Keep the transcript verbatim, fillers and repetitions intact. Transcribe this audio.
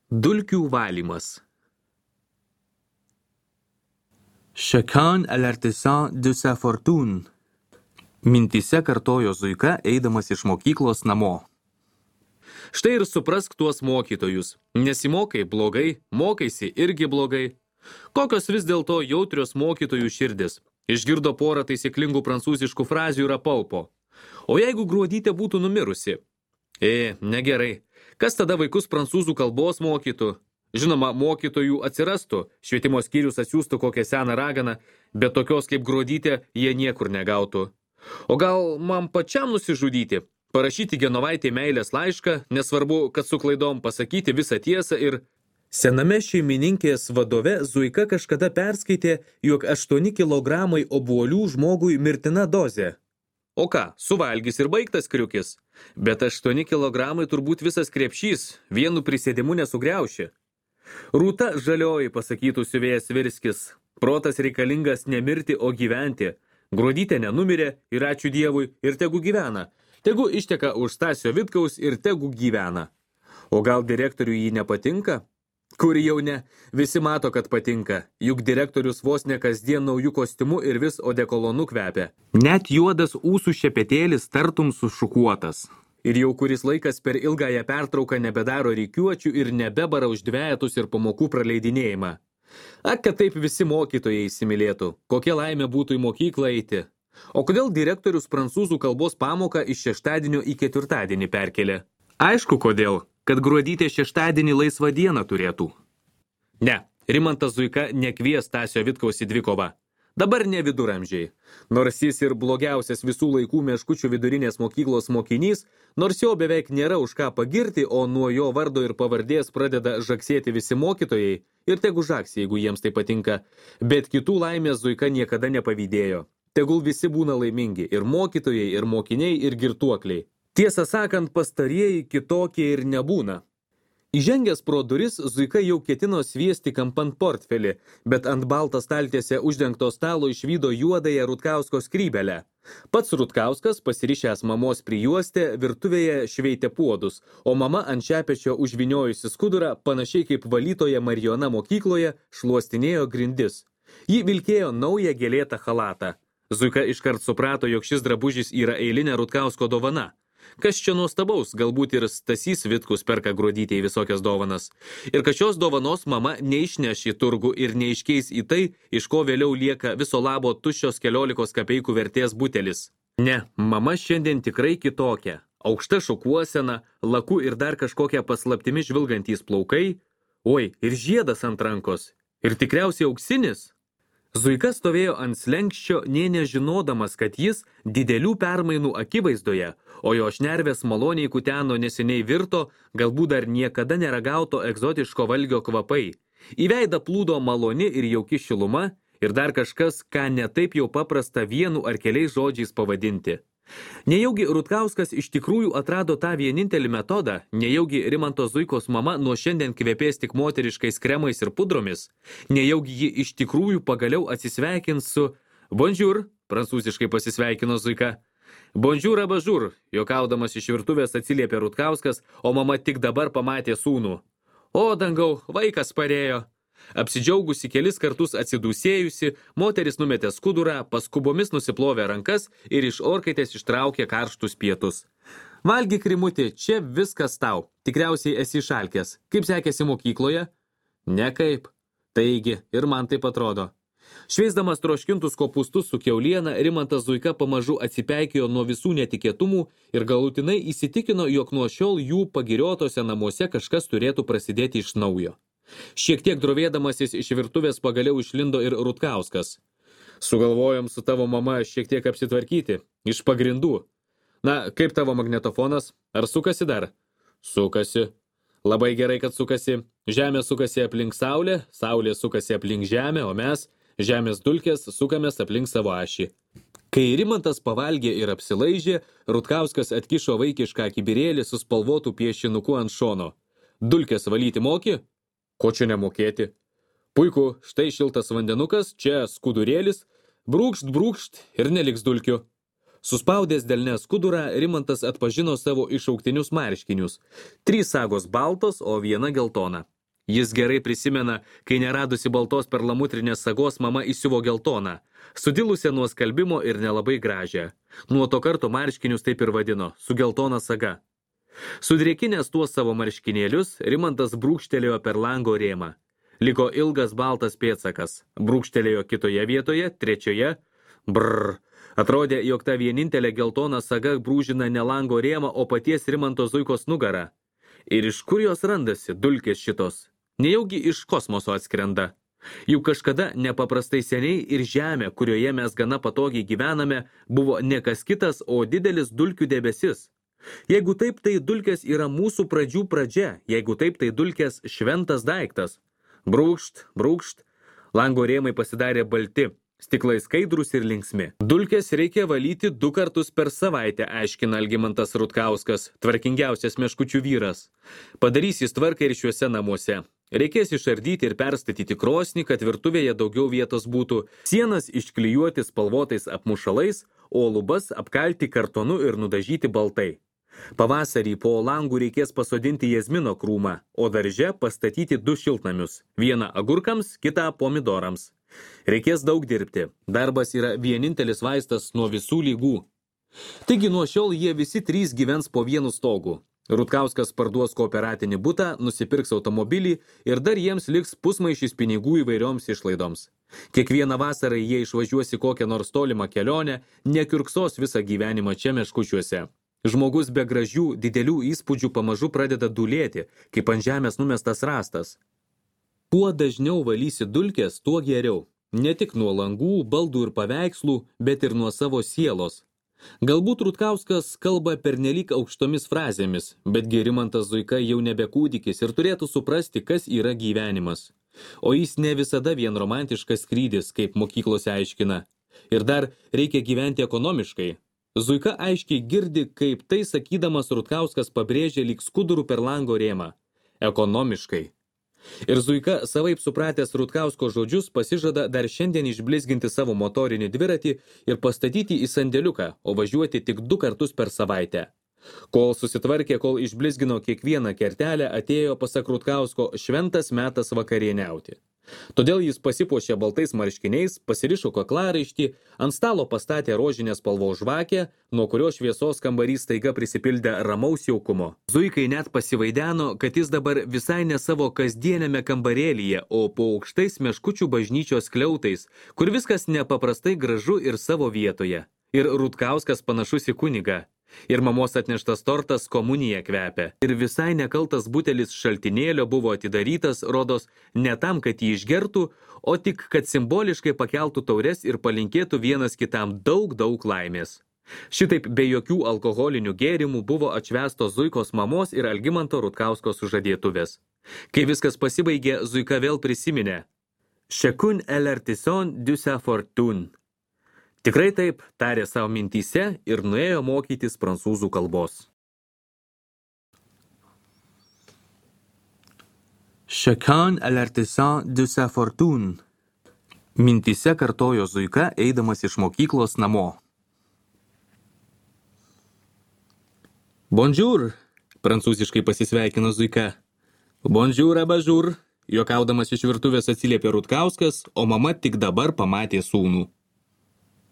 Dulkių valymas. Chacun à l'artisan de sa fortune. Mintyse kartojo Zuika, eidamas iš mokyklos namo. Štai ir suprask tuos mokytojus. Nesimokai blogai, mokaisi irgi blogai. Kokios vis dėlto jautrios mokytojų širdis. Išgirdo porą taisyklingų prancūziškų frazių ir apalpo. O jeigu Gruodytė būtų numirusi? E, negerai. Kas tada vaikus prancūzų kalbos mokytų? Žinoma, mokytojų atsirastų, švietimo skyrius atsiųstų kokią seną raganą, bet tokios kaip Gruodytė jie niekur negautų. O gal man pačiam nusižudyti? Parašyti Genovaitei meilės laišką, nesvarbu, kad su klaidom pasakyti visą tiesą ir... Sename šeimininkės vadove Zuika kažkada perskaitė, jog aštuoni kilogramai obuolių žmogui mirtina dozė. O ką, suvalgys ir baigtas kriukis. Bet aštuoni kilogramai turbūt visas krepšys, vienu prisėdimu nesugriauši. Rūta žalioji, pasakytų siuvėjas Virskis. Protas reikalingas ne mirti, o gyventi. Gruodytė nenumirė ir ačiū Dievui ir tegu gyvena. Tegu išteka už Stasio Vitkaus ir tegu gyvena. O gal direktoriui jį nepatinka? Kur jau ne, visi mato, kad patinka, juk direktorius vos ne kasdien naujų kostiumų ir vis odekolonu kvepia. Net juodas ūsų šepetėlis tartum sušukuotas. Ir jau kuris laikas per ilgąją pertrauką nebedaro rykiuočių ir nebebara už dvejetus ir pamokų praleidinėjimą. Ak, kad taip visi mokytojai įsimylėtų, kokia laimė būtų į mokyklą eiti. O kodėl direktorius prancūzų kalbos pamoką iš šeštadienio į ketvirtadienį perkelė? Aišku, kodėl. Kad Gruodytė šeštadienį laisvą dieną turėtų. Ne, Rimantas Zuika nekvies Stasio Vitkaus į dvikovą. Dabar ne viduramžiai. Nors jis ir blogiausias visų laikų Meškučių vidurinės mokyklos mokinys, nors jo beveik nėra už ką pagirti, o nuo jo vardo ir pavardės pradeda žaksėti visi mokytojai, ir tegu žaksi, jeigu jiems tai patinka, bet kitų laimės Zuika niekada nepavydėjo. Tegul visi būna laimingi, ir mokytojai, ir mokiniai, ir girtuokliai. Tiesą sakant, pastarieji kitokie ir nebūna. Įžengęs pro duris, Zuika jau ketino sviesti kampant portfelį, bet ant baltą staltiesę uždengto stalo išvydo juodąją Rutkausko skrybelę. Pats Rutkauskas, pasirišęs mamos prijuostę, virtuvėje šveitė puodus, o mama ant šepečio užviniojusi skudurą, panašiai kaip valytoja Marijona mokykloje, šluostinėjo grindis. Ji vilkėjo naują gėlėtą chalatą. Zuika iškart suprato, jog šis drabužis yra eilinė Rutkausko dovana. Kas čia nuostabaus, galbūt ir Stasys Vitkus perka Gruodytei visokias dovanas. Ir kad šios dovanos mama neišneš į turgų ir neiškeis į tai, iš ko vėliau lieka viso labo tuščios keliolikos kapeikų vertės butelis. Ne, mama šiandien tikrai kitokia. Aukšta šukuosena, laku ir dar kažkokia paslaptimi žvilgantys plaukai. Oi, ir žiedas ant rankos. Ir tikriausiai auksinis. Zuika stovėjo ant slenkščio, nė nežinodamas, kad jis didelių permainų akivaizdoje, o jo šnervės maloniai kuteno neseniai virto, galbūt dar niekada neragauto egzotiško valgio kvapai. Į veidą plūdo maloni ir jauki šiluma ir dar kažkas, ką netaip jau paprasta vienu ar keliais žodžiais pavadinti. Nejaugi Rutkauskas iš tikrųjų atrado tą vienintelį metodą, nejaugi Rimanto Zuikos mama nuo šiandien kvepės tik moteriškais kremais ir pudromis, nejaugi ji iš tikrųjų pagaliau atsisveikins su bonjour, prancūziškai pasisveikino Zuika. Bonjour abažur, juokaudamas iš virtuvės atsiliepė Rutkauskas, o mama tik dabar pamatė sūnų. O dangau, vaikas parėjo. Apsidžiaugusi kelis kartus atsidūsėjusi, moteris numetė skudurą, paskubomis nusiplovė rankas ir iš orkaitės ištraukė karštus pietus. Valgyk, Rimutį, čia viskas tau. Tikriausiai esi šalkės. Kaip sekėsi mokykloje? Nekaip. Taigi, ir man taip atrodo. Šveisdamas troškintus kopūstus su kiauliena, Rimantas Zuika pamažu atsipeikėjo nuo visų netikėtumų ir galutinai įsitikino, jog nuo šiol jų pagiriotose namuose kažkas turėtų prasidėti iš naujo. Šiek tiek drovėdamasis iš virtuvės pagaliau išlindo ir Rutkauskas. Sugalvojom su tavo mama šiek tiek apsitvarkyti, iš pagrindų. Na, kaip tavo magnetofonas? Ar sukasi dar? Sukasi. Labai gerai, kad sukasi. Žemė sukasi aplink saulę, saulė sukasi aplink žemę, o mes, žemės dulkės, sukamės aplink savo ašį. Kai Rimantas pavalgė ir apsilaižė, Rutkauskas atkišo vaikišką kibirėlį su spalvotų piešinuku ant šono. Dulkės valyti moki? Ko čia nemokėti? Puiku, štai šiltas vandenukas, čia skudurėlis, brūkšt, brūkšt ir neliks dulkių. Suspaudęs delne skudurą, Rimantas atpažino savo išauktinius marškinius. Trys sagos baltos, o viena geltona. Jis gerai prisimena, kai neradusi baltos perlamutrinės sagos mama įsiuvo geltoną, sudilusią nuo skalbimo ir nelabai gražią. Nuo to karto marškinius taip ir vadino, su geltona saga. Sudrėkinęs tuos savo marškinėlius, Rimantas brūkštelėjo per lango rėmą. Liko ilgas baltas pėdsakas, brūkštelėjo kitoje vietoje, trečioje. Brrr, atrodė, jog ta vienintelė geltona saga brūžina ne lango rėmą, o paties Rimanto Zuikos nugarą. Ir iš kur jos randasi, dulkės šitos? Nejaugi iš kosmoso atskrenda. Juk kažkada nepaprastai seniai ir žemė, kurioje mes gana patogiai gyvename, buvo ne kas kitas, o didelis dulkių debesis. Jeigu taip, tai dulkės yra mūsų pradžių pradžia, jeigu taip, tai dulkės šventas daiktas. Brūkšt, brūkšt, lango rėmai pasidarė balti, stiklai skaidrus ir linksmi. Dulkės reikia valyti du kartus per savaitę, aiškina Algimantas Rutkauskas, tvarkingiausias meškučių vyras. Padarys jis tvarką ir šiuose namuose. Reikės išardyti ir perstatyti krosnį, kad virtuvėje daugiau vietos būtų, sienas išklijuoti spalvotais apmušalais, o lubas apkalti kartonu ir nudažyti baltai. Pavasarį po langų reikės pasodinti jazmino krūmą, o darže pastatyti du šiltnamius, vieną agurkams, kitą pomidorams. Reikės daug dirbti, darbas yra vienintelis vaistas nuo visų lygų. Taigi nuo šiol jie visi trys gyvens po vienu stogu. Rutkauskas parduos kooperatinį butą, nusipirks automobilį ir dar jiems liks pusmaišis pinigų įvairioms išlaidoms. Kiekvieną vasarą jie išvažiuos į kokią nors tolimą kelionę, nekiurksos visą gyvenimą čia meškučiuose. Žmogus be gražių, didelių įspūdžių pamažu pradeda dulėti, kaip ant žemės numestas rastas. Kuo dažniau valysi dulkės, tuo geriau. Ne tik nuo langų, baldų ir paveikslų, bet ir nuo savo sielos. Galbūt Rutkauskas kalba pernelyg aukštomis frazėmis, bet Rimantas Zuika jau nebe kūdikis ir turėtų suprasti, kas yra gyvenimas. O jis ne visada vien romantiškas skrydis, kaip mokyklose aiškina. Ir dar reikia gyventi ekonomiškai. Zuika aiškiai girdi, kaip tai sakydamas Rutkauskas pabrėžė lyg skudurų per lango rėmą. Ekonomiškai. Ir Zuika, savaip supratęs Rutkausko žodžius, pasižada dar šiandien išblizginti savo motorinį dviratį ir pastatyti į sandėliuką, o važiuoti tik du kartus per savaitę. Kol susitvarkė, kol išblizgino kiekvieną kertelę, atėjo, pasak Rutkausko, šventas metas vakarieniauti. Todėl jis pasipuošė baltais marškiniais, pasirišo kaklaraištį, ant stalo pastatė rožinės spalvos žvakę, nuo kurios šviesos kambarys staiga prisipildė ramaus jaukumo. Zuikai net pasivaideno, kad jis dabar visai ne savo kasdienėme kambarėlyje, o po aukštais meškučių bažnyčios skliautais, kur viskas nepaprastai gražu ir savo vietoje. Ir Rutkauskas panašus į kunigą. Ir mamos atneštas tortas komunija kvepia. Ir visai nekaltas butelis šaltinėlio buvo atidarytas, rodos, ne tam, kad jį išgertų, o tik, kad simboliškai pakeltų taures ir palinkėtų vienas kitam daug, daug laimės. Šitaip be jokių alkoholinių gėrimų buvo atšvęstos Zuikos mamos ir Algimanto Rutkausko sužadėtuvės. Kai viskas pasibaigė, Zuika vėl prisiminė. Chacun est l'artisan de sa fortune. Tikrai taip, tarė savo mintyse ir nuėjo mokytis prancūzų kalbos. Chacun est l'artisan de sa fortune. Mintyse kartojo Zuika, eidamas iš mokyklos namo. Bonjour, prancūziškai pasisveikino Zuika. Bonjour, abajour, juokaudamas iš virtuvės atsiliepė Rutkauskas, o mama tik dabar pamatė sūnų.